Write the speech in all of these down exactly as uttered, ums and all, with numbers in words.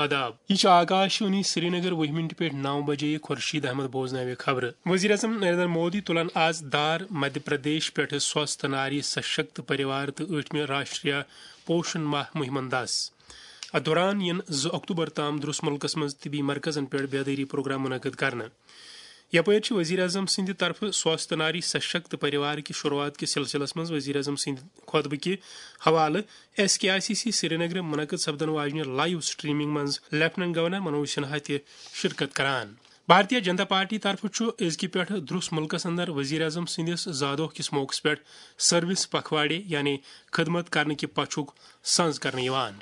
آداب، یہِ چھُ آکاشوانی سرینگر۔ وُہہِ منٹہِ پٮ۪ٹھ نو بجے یہِ خورشید احمد بوزناوِ خبرٕ۔ وزیر اعظم نریندر مودی تُلن آز دھار مدھیہ پردیش پٮ۪ٹھٕ سوستھ ناری سشکت پریوار تہٕ ٲٹھمہِ راشٹریہ پوشن ماہ مُہِمن دَس۔ اتھ دوران یِن زٕ اکتوبر تام درس مُلکس منٛز طبی مرکزن پٮ۪ٹھ بیدٲری پروگرام منعقد کرنہٕ۔ یپٲرۍ چھِ وزیر اعظم سٕنٛدِ طرفہٕ سوستھ ناری سشکت پریوار کہِ شروعات کِس سلسلس منٛز وزیر اعظم سٕنٛدِ خطبہٕ کہِ حوالہٕ S K I C C سرینگرٕ منعقد سپدن واجنہِ لائیو سٹریمنگ منٛز لیفٹیننٹ گورنر منوج سنہا تہِ شرکت کران۔ بھارتیہ جنتا پارٹی طرفہٕ چھُ أزکہِ پٮ۪ٹھٕ درس مُلکس اندر وزیر اعظم سٕنٛدِس زادوہ کِس موقعس پٮ۪ٹھ سروس پکھواڑے یعنی خدمت کرنہٕ کہِ پژھُک سنز کرنہٕ یِوان۔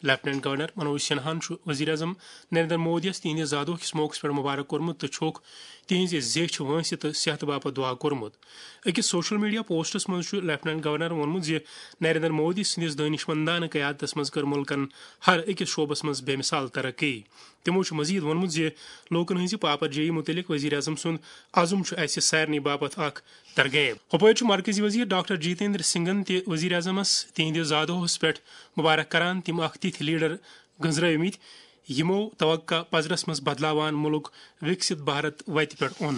لیفٹیننٹ گورنر منوج سنہاہن چھُ وزیر اعظم نریندر مودیَس تِہنٛدِ زادوہ کِس موقعس پٮ۪ٹھ مبارک کوٚرمُت تہٕ چھُکھ تِہنٛزِ زیچھِ وٲنٛسہِ تہٕ صحتہٕ باپتھ دعا کوٚرمُت۔ أکِس سوشل میڈیا پوسٹس منٛز چھُ لیفٹیننٹ گورنر ووٚنمُت زِ نریندر مودی سٕنٛدِس دٲنشمندانہٕ قیادتس منٛز کٔر مُلکن ہر أکِس شعبس منٛز بے مثال ترقی۔ تِمو چھُ مزید ووٚنمُت زِ لوٗکن ہٕنٛزِ پاپرجٲیی مُتعلق وزیر اعظم سُنٛد عزم چھُ اسہِ سارنٕے باپتھ اکھ ترغیب۔ ہُپٲرۍ چھُ مرکزی وزیر ڈاکٹر جتیندر سنگھن تہِ وزیر اعظمس تِہنٛدِ زادوہس پٮ۪ٹھ مبارک کران، تِم اکھ تِتھۍ لیڈر گٔنزرٲومٕتۍ، یِمو توقع پزرس منٛز بدلاوان مُلک وِکسِت بھارت وتہِ پٮ۪ٹھ اوٚن۔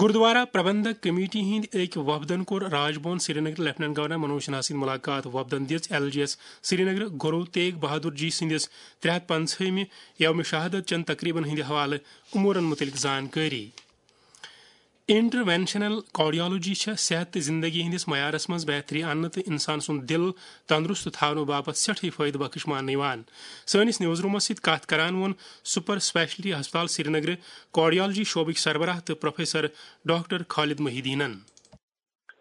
گردوارا پربندھک کمیٹی ہٕنٛدۍ أکۍ وفدن کوٚر راج بھون سرینگر لیفٹیننٹ گورنر منوج سنہا سۭتۍ ملاقات۔ وفدن دِژ ایل جی ایس سرینگر گرو تیگ بہادر جی سٕنٛدِس ترٛےٚ ہتھ پنٛژہٲیمہِ یوم شہادت چٮ۪ن تقریبن ہٕنٛدِ حوالہٕ امورن مُتعلق زانکٲری۔ انٹروینشنل کارڈیالوجی چھےٚ صحت تہٕ زندگی ہٕنٛدِس معیارس منٛز بہتری اننہٕ تہٕ انسان سُنٛد دِل تندرست تھاونہٕ باپتھ سٮ۪ٹھٕے فٲیدٕ بخش ماننہٕ یِوان۔ سٲنِس نیوز رومس سۭتۍ کتھ کران ووٚن سپر اسپیشلٹی ہسپتال سرینگرٕ کارڈیالوجی شعبٕکۍ سربراہ تہٕ پروفیسر ڈاکٹر خالد محی الدینن۔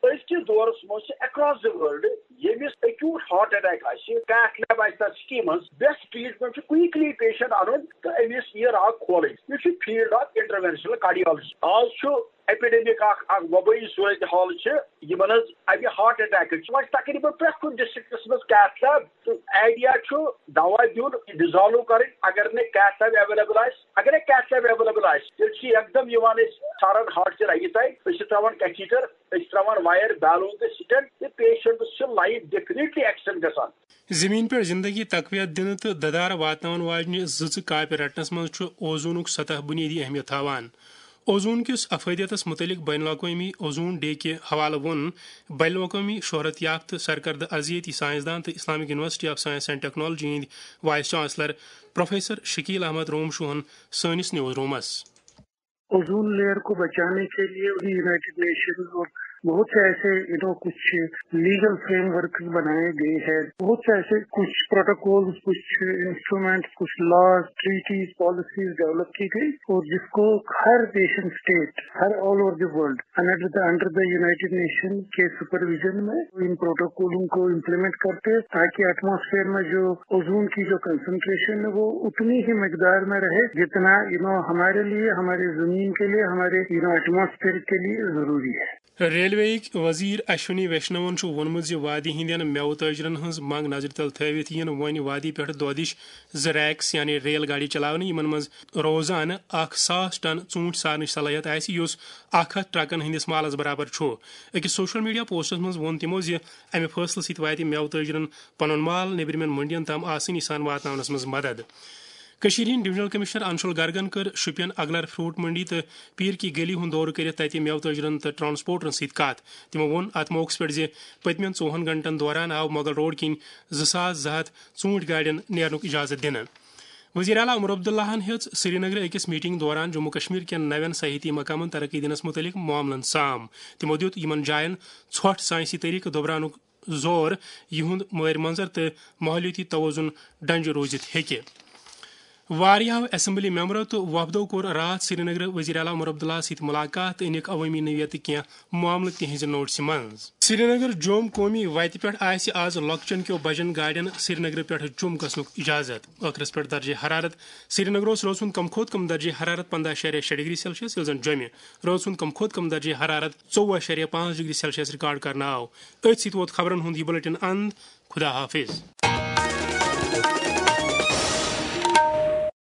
أزکِس دورس منٛز چھِ across the world ییٚمِس acute heart attack آسہِ، cath lab آسہِ تَتھ city منٛز، best treatment چھُ quickly patient اَنُن تہٕ أمِس یہِ رگ کھولٕنۍ۔ یہِ چھُ field of interventional cardiology۔ آز چھُ epidemic اکھ، اکھ وبٲیی صورت حال چھِ یِمن حظ اَمہِ heart attack چھِ وۄنۍ تقریباً پرٛٮ۪تھ کُنہِ districtس منٛز cath lab۔ تہٕ idea چھُ دوا دیُن، dissolve کَرٕنۍ۔ اگر نہٕ cath lab available آسہِ، اگر نہٕ cath lab available آسہِ، تیٚلہِ چھِ یکدم یِوان أسۍ ژھاران heartچہِ رگہِ تام، أسۍ چھِ ترٛاوان catheter، أسۍ چھِ ترٛاوان wire، balloon تہٕ stent، تہٕ patientس چھِ life definitely extend گژھان۔ زمین پٮ۪ٹھ زندگی تقویت دِنہٕ تہٕ ددارٕ واتناون واجنہِ زٕژٕ کاپہِ رٹنس منٛز چھُ اوزونُک سطح بُنیٲدی اہمیت تھاوان۔ اوزون کِس افٲدیتس مُتعلق بین الاقوٲمی اوزون ڈے کہِ حوالہٕ ووٚن بین الاقوٲمی شہرت یافتہٕ سرکردٕ ارضیٲتی سائنسدان تہٕ Islamic university of science and technology ہٕنٛدۍ vice chancellor professor Shakeel Ahmad روم شوہن سٲنِس نیوز رومس۔ اوزون لیئر کو بچانے کے لیے بھی یونائیٹڈ نیشنز اور بہت سے ایسے، یو نو، کچھ لیگل فریم ورک بنائے گئے ہیں، بہت سے ایسے کچھ پروٹوکول، کچھ انسٹرومنٹس، کچھ لاز، ٹریٹیز، پالیسیز ڈیولپ کی گئی اور جس کو ہر نیشن اسٹیٹ، ہر all over the world under the under the United nation K supervision میں ان پروٹوکولوں کو امپلیمنٹ کرتے ہیں تاکہ ایٹماسفیئر میں جو اوزون کی جو کنسنٹریشن ہے وہ اتنی ہی مقدار میں رہے جتنا، یو نو، ہمارے لیے، ہمارے زمین کے لیے، ہمارے، یو نو، ایٹماسفیئر کے لیے ضروری ہے۔ ریلوے یِکۍ وزیر اشونی ویشنون چھُ ووٚنمُت زِ وادی ہٕنٛدٮ۪ن مٮ۪وٕ تٲجرن ہٕنٛز منٛگ نظرِ تل تھٲوِتھ یِن وۄنۍ وادی پٮ۪ٹھ دۄدٕچ زٕ ریکس یعنی ریل گاڑِ چلاونہٕ، یِمن منٛز روزانہٕ اکھ ساس ٹن ژوٗنٛٹھۍ سارنٕچ صلٲحیت آسہِ، یُس اکھ ہتھ ٹرکن ہٕنٛدِس مالس برابر چھُ۔ أکِس سوشل میڈیا پوسٹس منٛز ووٚن تِمو زِ امہِ فٲصلہٕ سۭتۍ واتہِ مٮ۪وٕ تٲجرن پنُن مال نیبرِمٮ۪ن منڈین تام آسٲنی سان واتناونس منٛز مدد۔ کٔشیٖرِ ہٕنٛدۍ ڈویژنل کمشنر انشول گرگن کٔر شوپین اگلر فروٹ منڈی تہٕ پیٖر کی گلی ہُنٛد دورٕ کٔرِتھ تَتہِ مٮ۪وٕ تٲجرن تہٕ ٹرانسپورٹرن سۭتۍ کَتھ۔ تِمو ووٚن، اَتھ موقعس پٮ۪ٹھ زِ پٔتمٮ۪ن ژوٚوُہن گھنٹن دوران آو مغل روڈ کِنۍ زٕ ساس زٕ ہتھ ژوٗنٛٹھۍ گاڑٮ۪ن نیرنُک اجازت دِنہٕ۔ وزیر اعلیٰ عمر عبداللہَن ہیٚژ سرینگرٕ أکِس میٹنگ دوران جموں کشمیر کٮ۪ن نوٮ۪ن سیاحتی مقامن ترقی دِنس مُتعلق معاملن سام۔ تِمو دِیُت یِمن جاین ژھۄٹھ سائنسی طریقہٕ دۄبراونُک زور، یِہُنٛد مٲرۍ منظر تہٕ ماحولیٲتی توازن ڈنجہِ روٗزِتھ ہیٚکہِ۔ واریاہو اسمبلی ممبرو تہٕ وفدو کوٚر راتھ سرینگرٕ وزیر اعلیٰ عمر عبداللہ سۭتۍ ملاقات تہٕ أنِکھ عوٲمی نوعیتٕکۍ کینٛہہ معاملہٕ تِہنٛزِ نوٹسہِ منٛز۔ سرینگر جوم قومی وتہِ پٮ۪ٹھ آسہِ آز لۄکچن کیو بجن گاڑٮ۪ن سرینگرٕ پٮ۪ٹھ جوم گژھنُک اجازت۔ ٲخرس پٮ۪ٹھ درجہ حرارت۔ سرینگرس رٲژ ہُنٛد کم کھۄتہٕ کم درجہ حرارت پندہ اعشاریہ شےٚ ڈگری سیلسیس، ییٚلہِ زن جوٚمہِ رٲژ ہُنٛد کم کھۄتہٕ کم درجہ حرارت ژوٚوُہ اعشاریہ پانٛژھ ڈگری سیلسیس ریکارڈ کرنہٕ آو۔ أتھۍ سۭتۍ ووت خبرن ہُنٛد یہِ بلیٹن اند۔ خدا حافظ۔